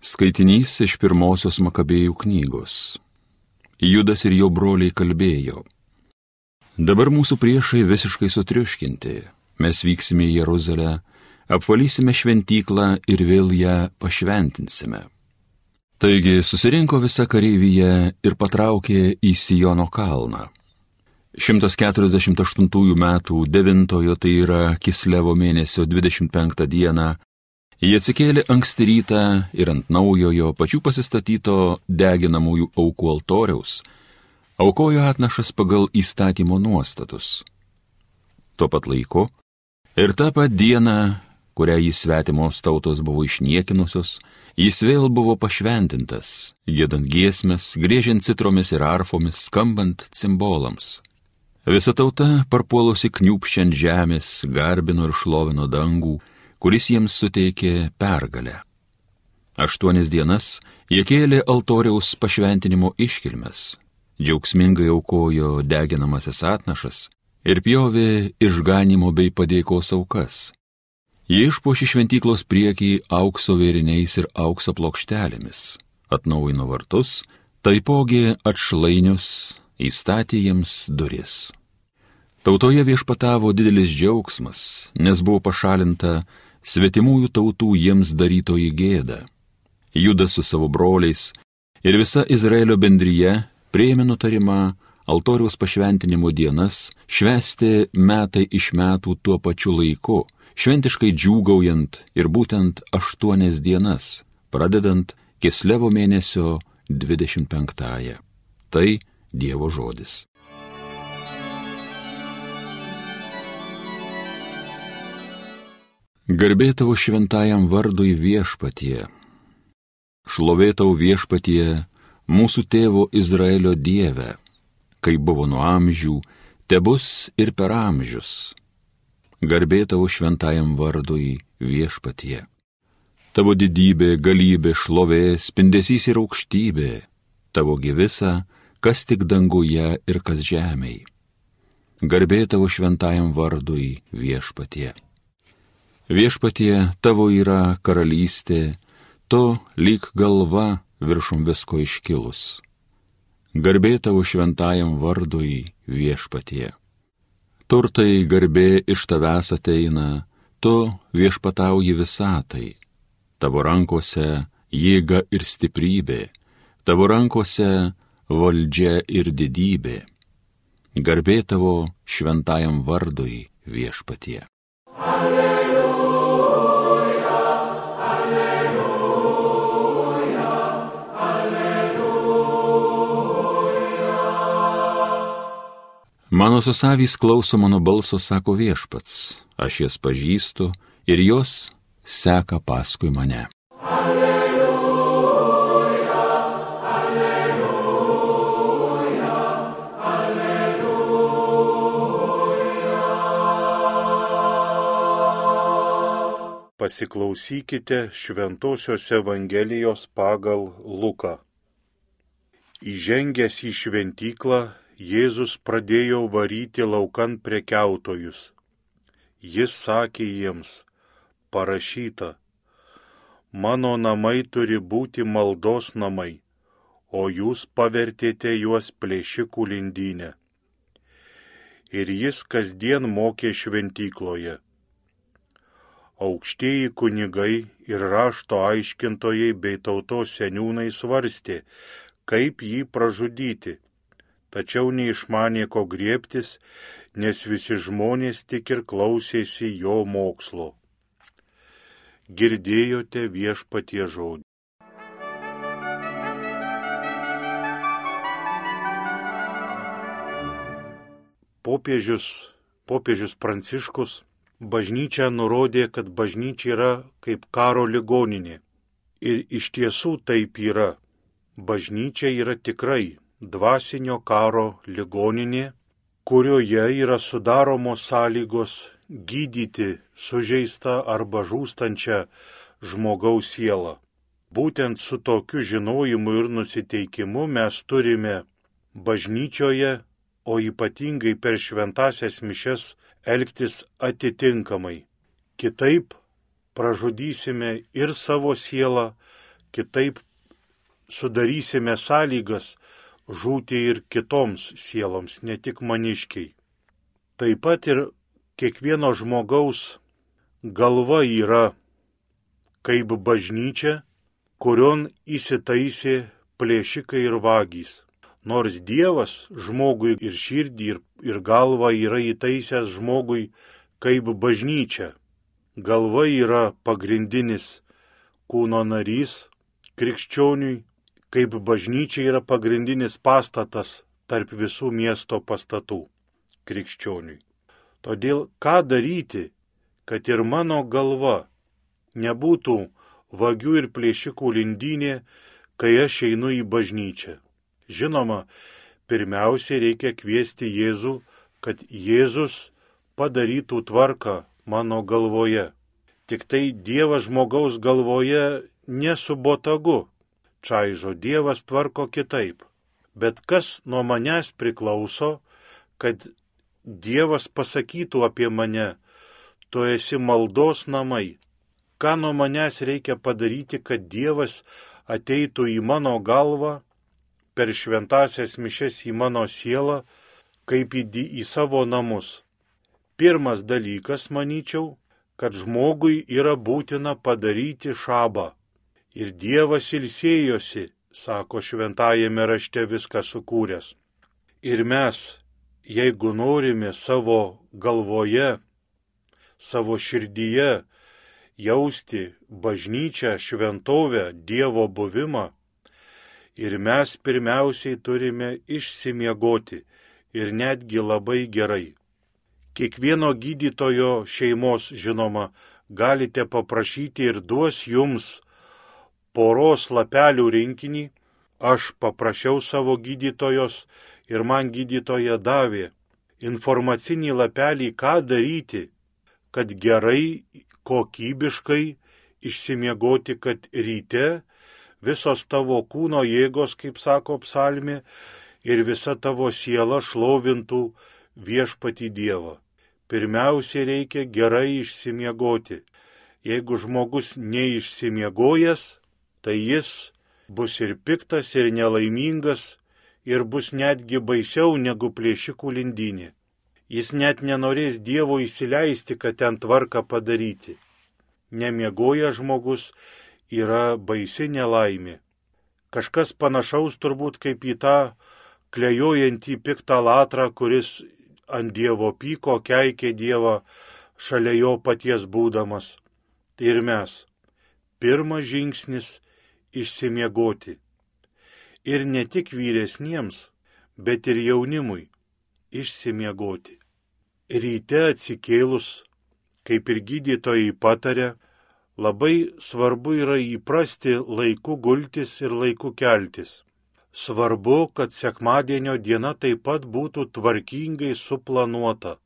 Skaitinys iš pirmosios Makabėjų knygos. Judas ir jo broliai kalbėjo: Dabar mūsų priešai visiškai sutriuškinti. Mes vyksime į Jeruzalę, apvalysime šventyklą ir vėl ją pašventinsime. Taigi susirinko visa kareivyje ir patraukė į Siono kalną. 148 metų 9, tai yra Kislevo mėnesio 25 dieną, jie atsikėlė anksti rytą ir ant naujojo pačių pasistatyto deginamųjų aukų altoriaus aukojo atnašas pagal įstatymo nuostatus. Tuo pat laiku ir tą pat dieną, kurią jį svetimos tautos buvo išniekinusios, jis vėl buvo pašventintas, giedant giesmes, griežiant citromis ir arfomis, skambant cimbolams. Visa tauta, parpuolusi kniūpščiant žemės, garbino ir šlovino dangų, kuris jiems suteikė pergalę. 8 dienas jie kėlė altoriaus pašventinimo iškilmes, džiaugsmingai aukojo deginamasis atnašas ir pjovė išganimo bei padėkos aukas. Jie išpuošė šventyklos priekį aukso vėriniais ir aukso plokštelėmis, atnaujino vartus, taipogi atšlainius, įstatė jiems duris. Tautoje viešpatavo didelis džiaugsmas, nes buvo pašalinta svetimųjų tautų jiems darytoji gėda. Judas su savo broliais ir visa Izraelio bendrija priėmė nutarimą altoriaus pašventinimo dienas švęsti metai iš metų tuo pačiu laiku, šventiškai džiūgaujant ir būtent 8 dienas, pradedant Kislevo mėnesio 25. Tai Dievo žodis. Garbė tavo šventajam vardui Viešpatie. Šlovė tau Viešpatie, mūsų tėvo Izraelio Dieve, kaip buvo nuo amžių, tebus ir per amžius. Garbė tavo šventajam vardui Viešpatie. Tavo didybė, galybė, šlovė, spindesys ir aukštybė, tavo visa, kas tik danguje ir kas žemėj. Garbė tavo šventajam vardui Viešpatie. Viešpatie, tavo yra karalystė, tu lyg galva viršum visko iškilus. Garbė tavo šventajam vardui Viešpatie. Turtai garbė iš tavęs ateina, tu viešpatauji visatai. Tavo rankose jėga ir stiprybė, tavo rankose valdžia ir didybė. Garbė tavo šventajam vardui Viešpatie. Alleluja, alleluja, alleluja. Mano susavys klauso mano balso, sako Viešpats, aš jas pažįstu ir jos seka paskui mane. Pasiklausykite Šventosios Evangelijos pagal Luką. Įžengęs į šventyklą, Jėzus pradėjo varyti laukan prekiautojus. Jis sakė jiems: parašyta, mano namai turi būti maldos namai, o jūs pavertėte juos plėšikų lindynę. Ir jis kasdien mokė šventykloje. Aukštieji kunigai ir rašto aiškintojai bei tautos seniūnai svarstė, kaip jį pražudyti, tačiau neišmanė ko griebtis, nes visi žmonės tik ir klausėsi jo mokslo. Girdėjote Viešpaties žodį. Popiežius Pranciškus bažnyčią nurodė, kad bažnyčia yra kaip karo ligoninė. Ir iš tiesų taip yra. Bažnyčia yra tikrai dvasinio karo ligoninė, kurioje yra sudaromos sąlygos gydyti sužeistą arba žūstančią žmogaus sielą. Būtent su tokiu žinojimu ir nusiteikimu mes turime bažnyčioje, o ypatingai per šventąsias mišias, elgtis atitinkamai. Kitaip pražudysime ir savo sielą, kitaip sudarysime sąlygas žūti ir kitoms sieloms, ne tik maniškiai. Taip pat ir kiekvieno žmogaus galva yra kaip bažnyčia, kurion įsitaisė plėšikai ir vagys. Nors Dievas žmogui ir širdį, ir galvą yra įtaisęs žmogui kaip bažnyčia. Galva yra pagrindinis kūno narys krikščioniui, kaip bažnyčia yra pagrindinis pastatas tarp visų miesto pastatų krikščioniui. Todėl ką daryti, kad ir mano galva nebūtų vagių ir plėšikų lindynė, kai aš einu į bažnyčią? Žinoma, pirmiausiai reikia kviesti Jėzų, kad Jėzus padarytų tvarką mano galvoje. Tik tai Dievas žmogaus galvoje nesubotagu čaižo, Dievas tvarko kitaip. Bet kas nuo manęs priklauso, kad Dievas pasakytų apie mane, tu esi maldos namai. Ką nuo manęs reikia padaryti, kad Dievas ateitų į mano galvą, per šventąsias mišes į mano sielą, kaip į savo namus. Pirmas dalykas, manyčiau, kad žmogui yra būtina padaryti šabą. Ir Dievas ilsėjosi, sako šventajame rašte, viską sukūręs. Ir mes, jeigu norime savo galvoje, savo širdyje jausti bažnyčią, šventovę, Dievo buvimą, ir mes pirmiausiai turime išsimiegoti ir netgi labai gerai. Kiekvieno gydytojo šeimos, žinoma, galite paprašyti ir duos jums poros lapelių rinkinį. Aš paprašiau savo gydytojos ir man gydytoja davė informacinį lapelį, ką daryti, kad gerai, kokybiškai išsimiegoti, kad ryte visos tavo kūno jėgos, kaip sako psalmė, ir visa tavo siela šlovintų viešpatį Dievą. Pirmiausia, reikia gerai išsimiegoti. Jeigu žmogus neišsimiegojęs, tai jis bus ir piktas, ir nelaimingas, ir bus netgi baisiau negu plėšikų lindynė. Jis net nenorės Dievo įsileisti, kad ten tvarką padaryti. Nemiegoja žmogus yra baisi nelaimė. Kažkas panašaus turbūt kaip į tą klejojantį piktą latrą, kuris ant Dievo pyko, keikė Dievą šalia jo paties būdamas. Tai ir mes. Pirmas žingsnis – išsimiegoti. Ir ne tik vyresniems, bet ir jaunimui – išsimiegoti. Ryte atsikėlus, kaip ir gydytojai patarė, labai svarbu yra įprasti laiku gultis ir laiku keltis. Svarbu, kad sekmadienio diena taip pat būtų tvarkingai suplanuota.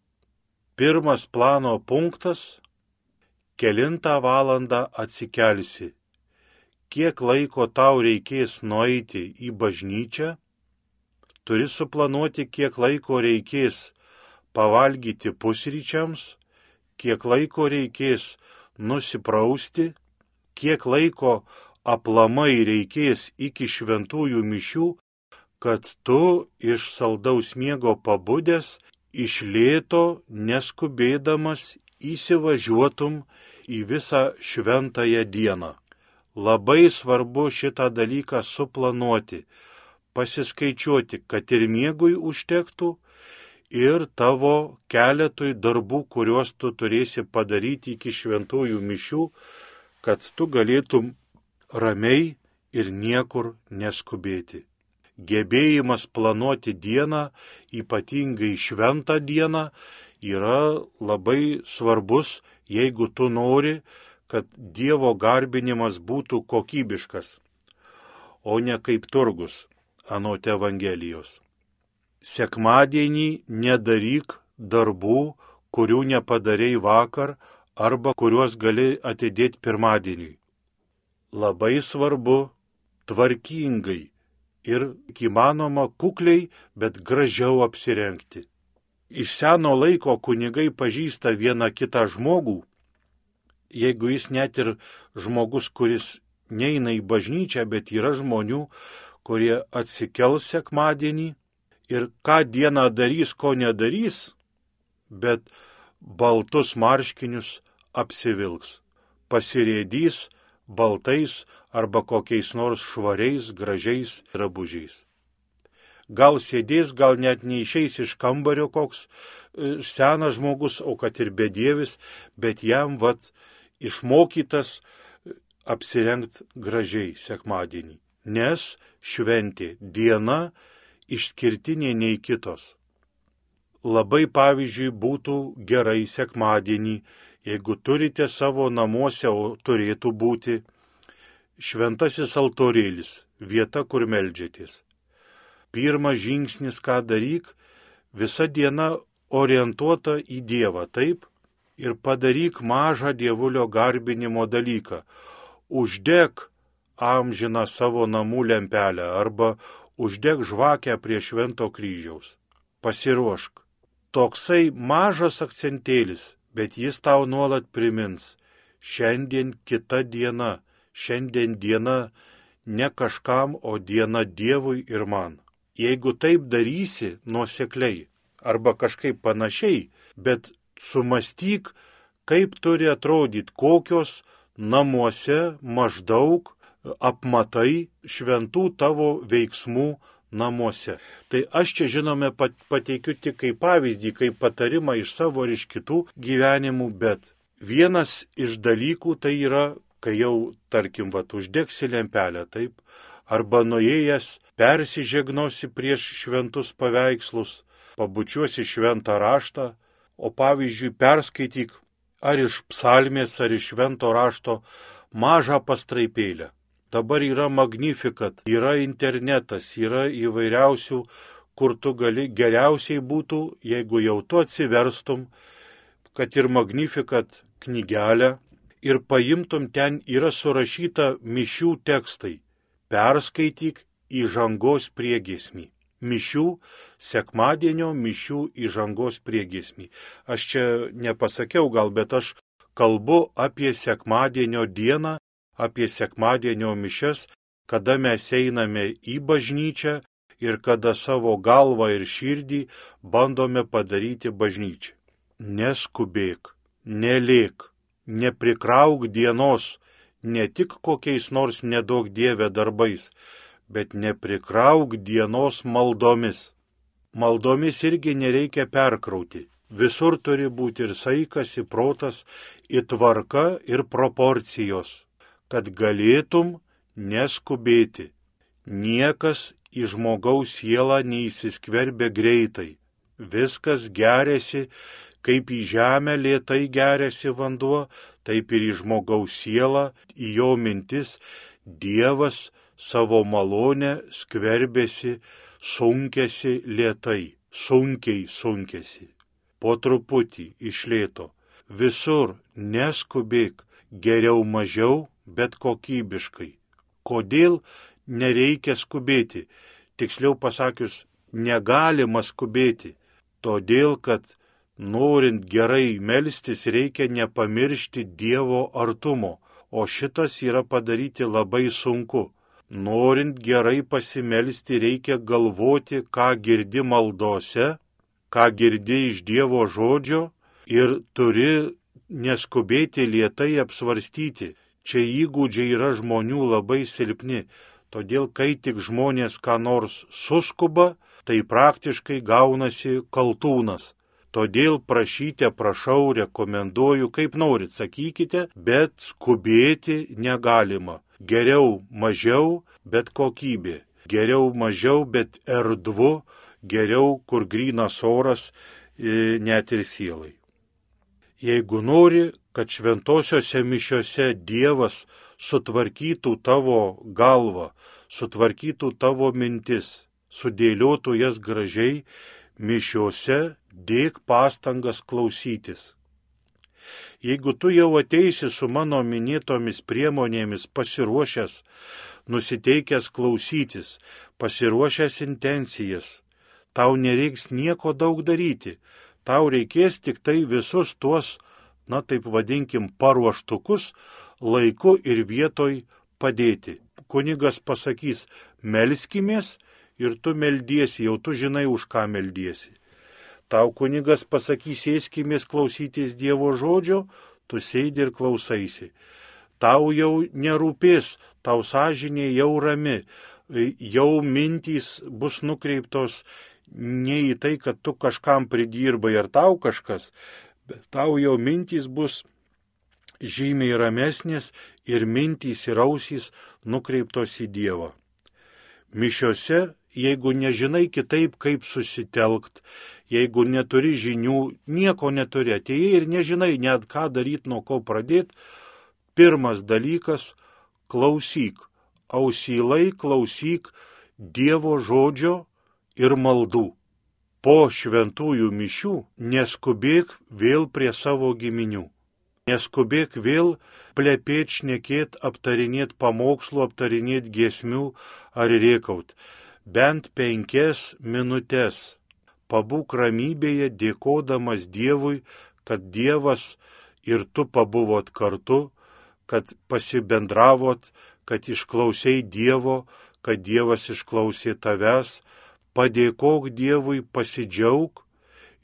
Pirmas plano punktas – kelintą valandą atsikelsi. Kiek laiko tau reikės nueiti į bažnyčią? Turi suplanuoti, kiek laiko reikės pavalgyti pusryčiams, kiek laiko reikės nusiprausti, kiek laiko aplamai reikės iki šventųjų mišių, kad tu iš saldaus miego pabudęs, iš lėto, neskubėdamas įsivažiuotum į visą šventąją dieną. Labai svarbu šitą dalyką suplanuoti, pasiskaičiuoti, kad ir miegui užtektų, ir tavo keletui darbų, kuriuos tu turėsi padaryti iki šventųjų mišių, kad tu galėtum ramiai ir niekur neskubėti. Gebėjimas planuoti dieną, ypatingai šventą dieną, yra labai svarbus, jeigu tu nori, kad Dievo garbinimas būtų kokybiškas, o ne kaip turgus, anot Evangelijos. Sekmadienį nedaryk darbų, kurių nepadarei vakar arba kuriuos gali atidėti pirmadieniui. Labai svarbu tvarkingai ir įmanoma kukliai, bet gražiau apsirengti. Iš seno laiko kunigai pažįsta vieną kitą žmogų, jeigu jis net ir žmogus, kuris neina į bažnyčią, bet yra žmonių, kurie atsikels sekmadienį ir ką dieną darys, ko nedarys, bet baltus marškinius apsivilks, pasirėdys baltais arba kokiais nors švariais, gražiais drabužiais. Gal sėdės, gal net neišeis iš kambario koks senas žmogus, o kad ir bedievis, bet jam išmokytas apsirengti gražiai sekmadienį. Nes šventė diena išskirtinė nei kitos. Labai pavyzdžiui būtų gerai sekmadienį, jeigu turite savo namuose, o turėtų būti šventasis altorėlis, vieta, kur meldžiatės. Pirmas žingsnis, ką daryk, visa diena orientuota į Dievą, taip, ir padaryk mažą dievulio garbinimo dalyką. Uždek amžiną savo namų lempelę arba uždek žvakę prie Švento kryžiaus. Pasiruošk. Toksai mažas akcentėlis, bet jis tau nuolat primins. Šiandien kita diena, šiandien diena ne kažkam, o diena Dievui ir man. Jeigu taip darysi nuosekliai arba kažkaip panašiai, bet sumastyk, kaip turi atrodyti, kokios namuose maždaug apmatai šventų tavo veiksmų namuose. Tai aš čia žinome pateikiu tik kaip pavyzdį, kaip patarimą iš savo ir iš kitų gyvenimų, bet vienas iš dalykų tai yra, kai jau, tarkim, uždegsi lempelę, taip, arba nuėjęs persižegnosi prieš šventus paveikslus, pabučiuosi šventą raštą, o pavyzdžiui perskaityk ar iš psalmės, ar iš švento rašto mažą pastraipėlę. Dabar yra Magnificat, yra internetas, yra įvairiausių, kur tu gali, geriausiai būtų, jeigu jau tu atsiverstum, kad ir Magnificat knygelę ir paimtum, ten yra surašyta mišių tekstai. Perskaityk įžangos priegiesmį. Mišių, sekmadienio mišių įžangos priegiesmį. Aš čia nepasakiau gal, bet aš kalbu apie sekmadienio dieną, apie sekmadienio mišias, kada mes einame į bažnyčią ir kada savo galvą ir širdį bandome padaryti bažnyčią. Neskubėk, nelėk, neprikrauk dienos ne tik kokiais nors nedaug Dieve darbais, bet neprikrauk dienos maldomis. Maldomis irgi nereikia perkrauti. Visur turi būti ir saikas, ir protas, ir tvarka, ir proporcijos, kad galėtum neskubėti. Niekas į žmogaus sielą neįsiskverbia greitai. Viskas geriasi, kaip į žemę lėtai geriasi vanduo, taip ir į žmogaus sielą, į jo mintis Dievas savo malonę skverbėsi, sunkėsi lėtai, sunkiai sunkėsi. Po truputį iš lėto. Visur neskubėk, geriau mažiau, bet kokybiškai. Kodėl nereikia skubėti? Tiksliau pasakius, negalima skubėti. Todėl, kad norint gerai melstis, reikia nepamiršti Dievo artumo, o šitas yra padaryti labai sunku. Norint gerai pasimelsti, reikia galvoti, ką girdi maldose, ką girdi iš Dievo žodžio ir turi neskubėti lėtai apsvarstyti. Čia įgūdžiai yra žmonių labai silpni, todėl kai tik žmonės ką nors suskuba, tai praktiškai gaunasi kaltūnas. Todėl prašyte, prašau, rekomenduoju, kaip norit, sakykite, bet skubėti negalima. Geriau mažiau, bet kokybė. Geriau mažiau, bet erdvu, geriau, kur grynas oras, net ir sielai. Jeigu nori, kad šventosiose mišiose Dievas sutvarkytų tavo galvą, sutvarkytų tavo mintis, sudėliotų jas gražiai, mišiose dėk pastangas klausytis. Jeigu tu jau ateisi su mano minėtomis priemonėmis pasiruošęs, nusiteikęs klausytis, pasiruošęs intencijas, tau nereiks nieko daug daryti, tau reikės tik tai visus tuos, taip vadinkim, paruoštukus laiku ir vietoj padėti. Kunigas pasakys, melskimės ir tu meldiesi, jau tu žinai, už ką meldiesi. Tau kunigas pasakys, sėskimės klausytis Dievo žodžio, tu sėdi ir klausaisi. Tau jau nerūpės, tau sąžinė jau rami, jau mintys bus nukreiptos ne į tai, kad tu kažkam pridirbai ar tau kažkas, bet tau jau mintys bus žymiai ramesnės ir mintys ir ausys nukreiptos į Dievą. Mišiose, jeigu nežinai kitaip, kaip susitelkt, jeigu neturi žinių, nieko neturi, atėjai ir nežinai net ką daryti, nuo ko pradėti, pirmas dalykas – klausyk, ausylai klausyk Dievo žodžio ir maldų. Po šventųjų mišių neskubėk vėl prie savo giminių. Neskubėk vėl plepėt, šnekėt, aptarinėt pamokslų, aptarinėt giesmių ar rėkaut. Bent 5 minutės pabūk ramybėje, dėkodamas Dievui, kad Dievas ir tu pabuvot kartu, kad pasibendravot, kad išklausei Dievo, kad Dievas išklausė tavęs. Padėkok Dievui, pasidžiauk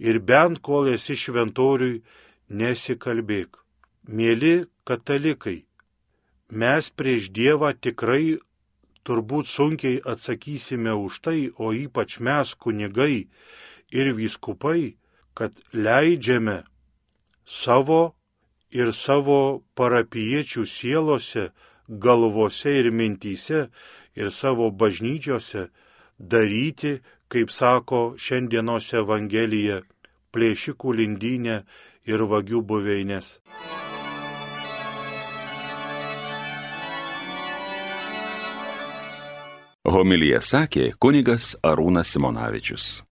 ir bent kol esi šventoriui, nesikalbėk. Mėly katalikai, mes prieš Dievą tikrai turbūt sunkiai atsakysime už tai, o ypač mes kunigai ir vyskupai, kad leidžiame savo ir savo parapijiečių sielose, galvose ir mintyse ir savo bažnyčiose daryti, kaip sako šiandienos Evangelija, plėšikų lindynę ir vagių buveines. Homiliją sakė kunigas Arūnas Simonavičius.